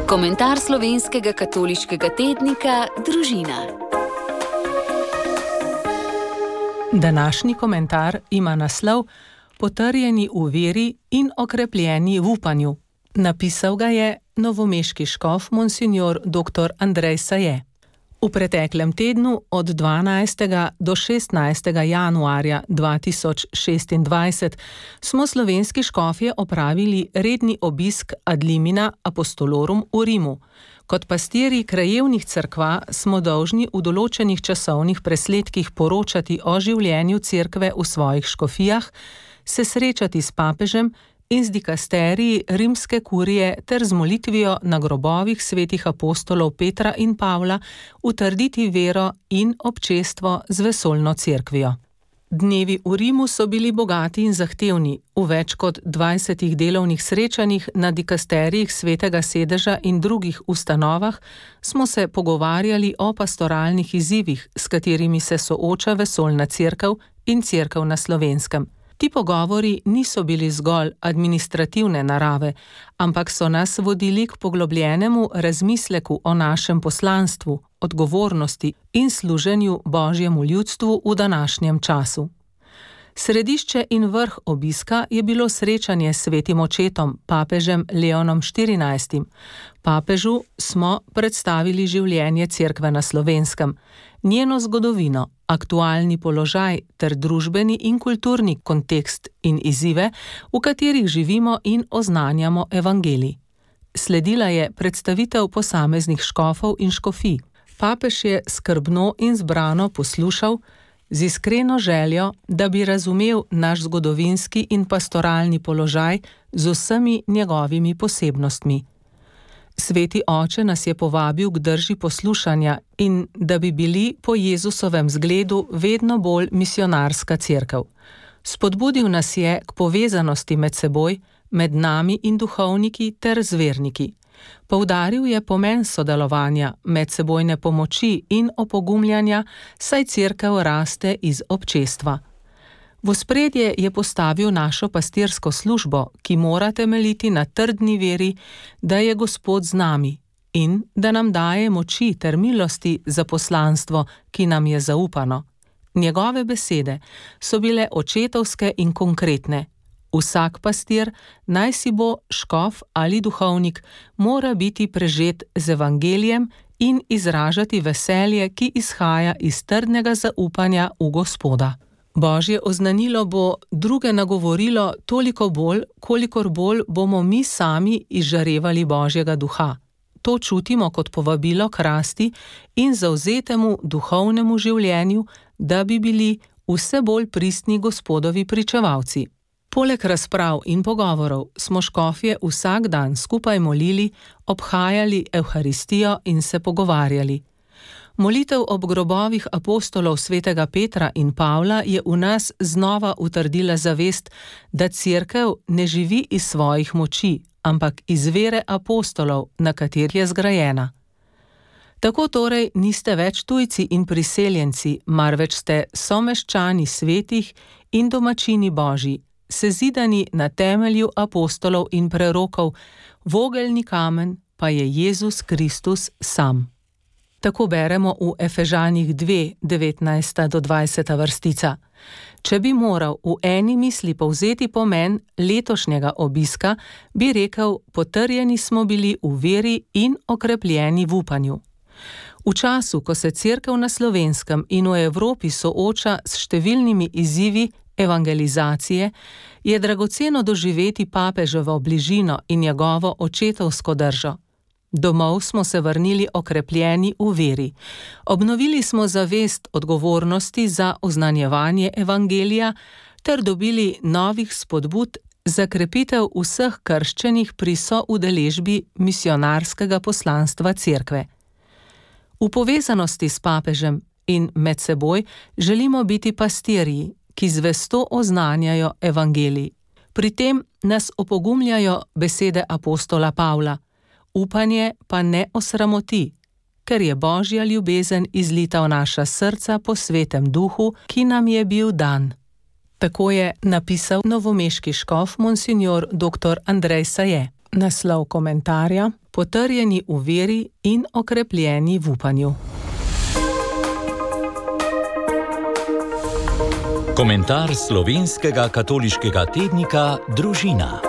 Komentar slovenskega katoliškega tednika Družina. Današnji komentar ima naslov Potrjeni v veri in okrepljeni v upanju. Napisal ga je novomeški škof monsignor dr. Andrej Saje. V preteklem tednu od 12. do 16. januarja 2026 smo slovenski škofje opravili redni obisk ad limina apostolorum v Rimu. Kot pastirji krajevnih cerkva smo dolžni v določenih časovnih presledkih poročati o življenju cerkve v svojih škofijah, se srečati s papežem in z dikasteriji rimske kurije ter z molitvijo na grobovih svetih apostolov Petra in Pavla utrditi vero in občestvo z vesoljno cerkvijo. Dnevi v Rimu so bili bogati in zahtevni. V več kot 20 delovnih srečanjih na dikasterijih Svetega sedeža in drugih ustanovah smo se pogovarjali o pastoralnih izzivih, s katerimi se sooča vesoljna cerkev in cerkev na Slovenskem. Ti pogovori niso bili zgolj administrativne narave, ampak so nas vodili k poglobljenemu razmisleku o našem poslanstvu, odgovornosti in služenju Božjemu ljudstvu v današnjem času. Središče in vrh obiska je bilo srečanje s svetim očetom, papežem Leonom XIV. Papežu smo predstavili življenje cerkve na Slovenskem, njeno zgodovino, aktualni položaj ter družbeni in kulturni kontekst in izzive, v katerih živimo in oznanjamo evangelij. Sledila je predstavitev posameznih škofov in škofij. Papež je skrbno in zbrano poslušal, z iskreno željo, da bi razumel naš zgodovinski in pastoralni položaj z vsemi njegovimi posebnostmi. Sveti oče nas je povabil k drži poslušanja in da bi bili po Jezusovem zgledu vedno bolj misionarska cerkev. Spodbudil nas je k povezanosti med seboj, med nami in duhovniki ter zverniki. Poudaril je pomen sodelovanja, medsebojne pomoči in opogumljanja, saj cerkev raste iz občestva. V ospredje je postavil našo pastirsko službo, ki mora temeljiti na trdni veri, da je Gospod z nami in da nam daje moči ter milosti za poslanstvo, ki nam je zaupano. Njegove besede so bile očetovske in konkretne. Vsak pastir, naj si bo škof ali duhovnik, mora biti prežet z evangelijem in izražati veselje, ki izhaja iz trdnega zaupanja v Gospoda. Božje oznanilo bo druge nagovorilo toliko bolj, kolikor bolj bomo mi sami izžarevali Božjega duha. To čutimo kot povabilo k rasti in zavzetemu duhovnemu življenju, da bi bili vse bolj pristni Gospodovi pričevalci. Poleg razprav in pogovorov smo škofje vsak dan skupaj molili, obhajali Evharistijo in se pogovarjali. Molitev ob grobovih apostolov svetega Petra in Pavla je v nas znova utrdila zavest, da cerkev ne živi iz svojih moči, ampak iz vere apostolov, na kateri je zgrajena. Tako torej niste več tujci in priseljenci, marveč ste someščani svetih in domačini Božji, sezidani na temelju apostolov in prerokov, vogelni kamen pa je Jezus Kristus sam. Tako beremo v Efežanih 2, 19. do 20. vrstica. Če bi moral v eni misli povzeti pomen letošnjega obiska, bi rekel, potrjeni smo bili v veri in okrepljeni v upanju. V času, ko se cerkev na Slovenskem in v Evropi sooča s številnimi izzivi evangelizacije, je dragoceno doživeti papeževo bližino in njegovo očetovsko držo. Domov smo se vrnili okrepljeni v veri. Obnovili smo zavest odgovornosti za oznanjevanje evangelija ter dobili novih spodbud za krepitev vseh krščenih pri soudeležbi misionarskega poslanstva cerkve. V povezanosti s papežem in med seboj želimo biti pastirji, ki zvesto oznanjajo evangelij. Pri tem nas opogumljajo besede apostola Pavla. Upanje pa ne osramoti, ker je Božja ljubezen izlita v naša srca po svetem duhu, ki nam je bil dan. Tako je napisal novomeški škof monsignor dr. Andrej Saje. Naslov komentarja: potrjeni v veri in okrepljeni v upanju. Komentar slovenskega katoliškega tednika Družina.